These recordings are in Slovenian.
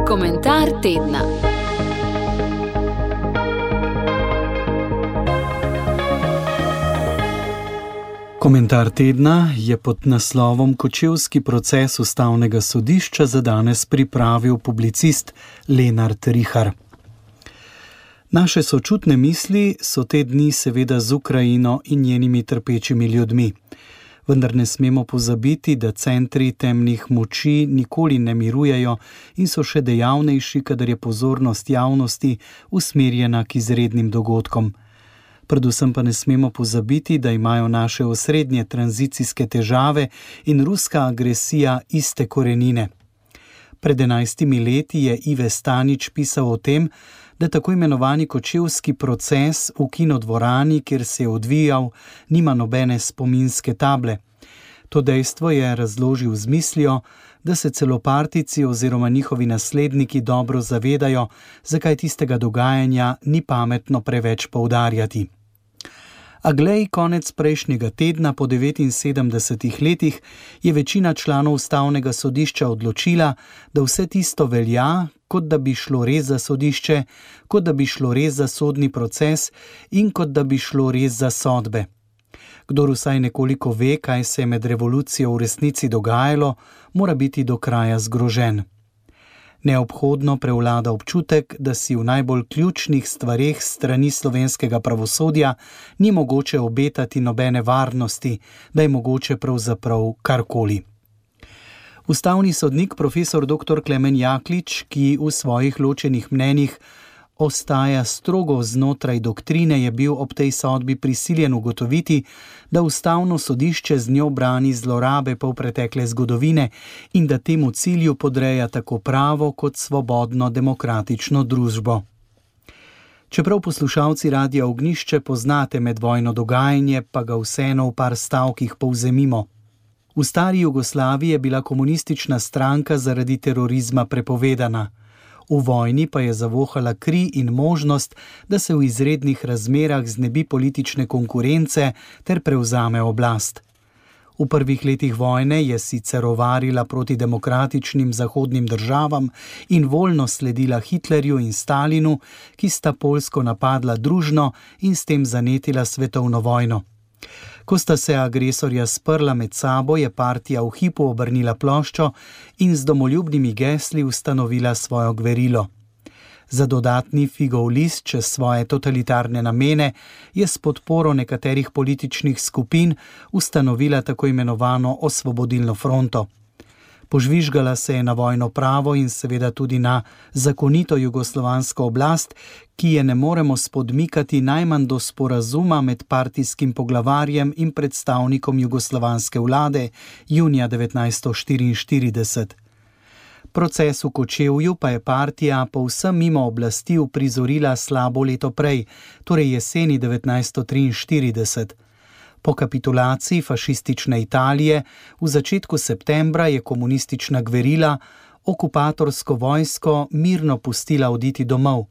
Komentar tedna. Komentar tedna je pod naslovom Kočevski proces ustavnega sodišča za danes pripravil publicist Lenart Rihar. Naše sočutne misli so te dni seveda z Ukrajino in njenimi trpečimi ljudmi. Vendar ne smemo pozabiti, da centri temnih moči nikoli ne mirujejo in so še dejavnejši, kadar je pozornost javnosti usmerjena k izrednim dogodkom. Predvsem pa ne smemo pozabiti, da imajo naše osrednje tranzicijske težave in ruska agresija iste korenine. Pred 11 leti je Ive Stanič pisal o tem, da tako imenovani kočevski proces v kinodvorani, kjer se je odvijal, nima nobene spominske table. To dejstvo je razložil z mislijo, da se celo partijci oziroma njihovi nasledniki dobro zavedajo, zakaj tistega dogajanja ni pametno preveč poudarjati. A glej, konec prejšnjega tedna po 79 letih je večina članov ustavnega sodišča odločila, da vse tisto velja, kot da bi šlo res za sodišče, kot da bi šlo res za sodni proces in kot da bi šlo res za sodbe. Kdor vsaj nekoliko ve, kaj se je med revolucijo v resnici dogajalo, mora biti do kraja zgrožen. Neobhodno prevlada občutek, da si v najbolj ključnih stvareh strani slovenskega pravosodja ni mogoče obetati nobene varnosti, da je mogoče pravzaprav karkoli. Ustavni sodnik profesor dr. Klemen Jaklič, ki v svojih ločenih mnenjih ostaja strogo znotraj doktrine, je bil ob tej sodbi prisiljen ugotoviti, da ustavno sodišče z njo brani zlorabe polpretekle zgodovine in da temu cilju podreja tako pravo kot svobodno demokratično družbo. Čeprav poslušalci Radia Ognjišče poznate medvojno dogajanje, pa ga vseeno v par stavkih povzemimo. V stari Jugoslaviji je bila komunistična stranka zaradi terorizma prepovedana. V vojni pa je zavohala kri in možnost, da se v izrednih razmerah znebi politične konkurence ter prevzame oblast. V prvih letih vojne je sicer ovarila proti demokratičnim zahodnim državam in voljno sledila Hitlerju in Stalinu, ki sta Poljsko napadla družno in s tem zanetila svetovno vojno. Ko sta se agresorja sprla med sabo, je partija v hipu obrnila ploščo in z domoljubnimi gesli ustanovila svojo gverilo. Za dodatni figov list čez svoje totalitarne namene je s podporo nekaterih političnih skupin ustanovila tako imenovano Osvobodilno fronto. Požvižgala se je na vojno pravo in seveda tudi na zakonito jugoslovansko oblast, ki je ne moremo spodmikati najmanj do sporazuma med partijskim poglavarjem in predstavnikom jugoslovanske vlade junija 1944. Proces v Kočevju pa je partija povsem mimo oblasti uprizorila slabo leto prej, torej jeseni 1943. Po kapitulaciji fašistične Italije v začetku septembra je komunistična gverila okupatorsko vojsko mirno pustila oditi domov.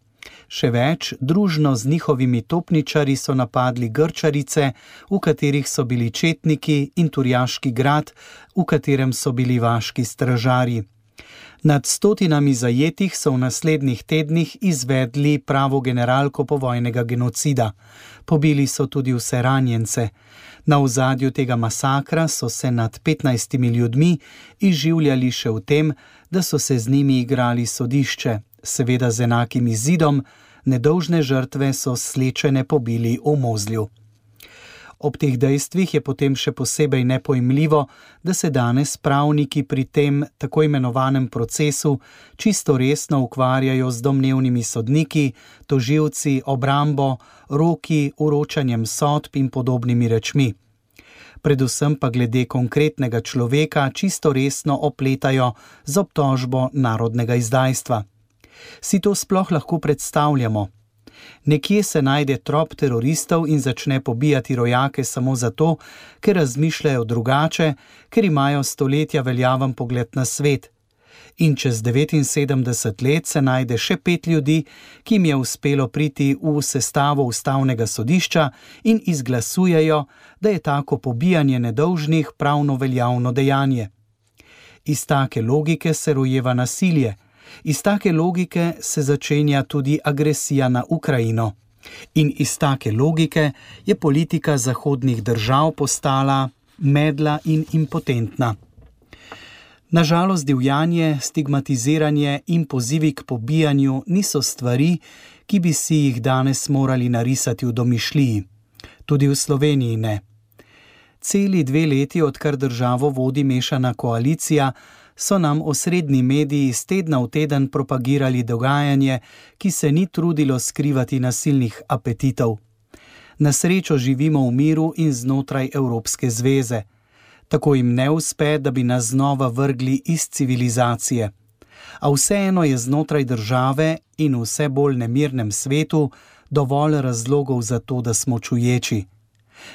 Še več, družno z njihovimi topničarji so napadli Grčarice, v katerih so bili četniki, in Turjaški grad, v katerem so bili vaški stražarji. Nad 100 zajetih so v naslednjih tednih izvedli pravo generalko povojnega genocida. Pobili so tudi vse ranjence. Na ozadju tega masakra so se nad 15 ljudmi izživljali še v tem, da so se z njimi igrali sodišče, seveda z enakim izidom, nedolžne žrtve so slečene pobili v Mozlju. Ob teh dejstvih je potem še posebej nepojmljivo, da se danes pravniki pri tem tako imenovanem procesu čisto resno ukvarjajo z domnevnimi sodniki, tožilci, obrambo, roki, vročanjem sodb in podobnimi rečmi. Predvsem pa glede konkretnega človeka čisto resno opletajo z obtožbo narodnega izdajstva. Si to sploh lahko predstavljamo? Nekje se najde trop teroristov in začne pobijati rojake samo zato, ker razmišljajo drugače, ker imajo stoletja veljaven pogled na svet. In čez 79 let se najde še 5 ljudi, ki jim je uspelo priti v sestavo ustavnega sodišča in izglasujejo, da je tako pobijanje nedolžnih pravno veljavno dejanje. Iz take logike se rojeva nasilje. Iz take logike se začenja tudi agresija na Ukrajino. In iz take logike je politika zahodnih držav postala medla in impotentna. Nažalost, divjanje, stigmatiziranje in pozivi k pobijanju niso stvari, ki bi si jih danes morali narisati v domišljiji. Tudi v Sloveniji ne. Celi 2 leti, odkar državo vodi mešana koalicija, so nam osrednji mediji iz tedna v teden propagirali dogajanje, ki se ni trudilo skrivati nasilnih apetitov. Na srečo živimo v miru in znotraj Evropske zveze. Tako jim ne uspe, da bi nas znova vrgli iz civilizacije. A vseeno je znotraj države in v vse bolj nemirnem svetu dovolj razlogov za to, da smo čuječi.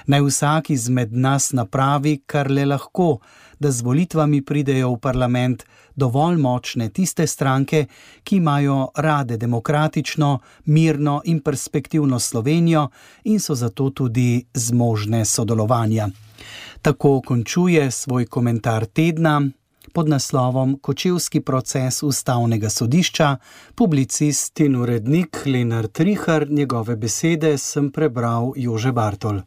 Naj vsak izmed nas napravi, kar le lahko, da z volitvami pridejo v parlament dovolj močne tiste stranke, ki imajo rade demokratično, mirno in perspektivno Slovenijo in so zato tudi zmožne sodelovanja. Tako končuje svoj komentar tedna pod naslovom Kočevski proces Ustavnega sodišča publicist in urednik Lenart Rihar. Njegove besede sem prebral Jože Bartol.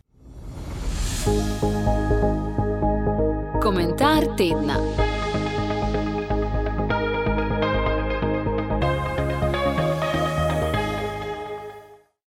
Komentar tedna.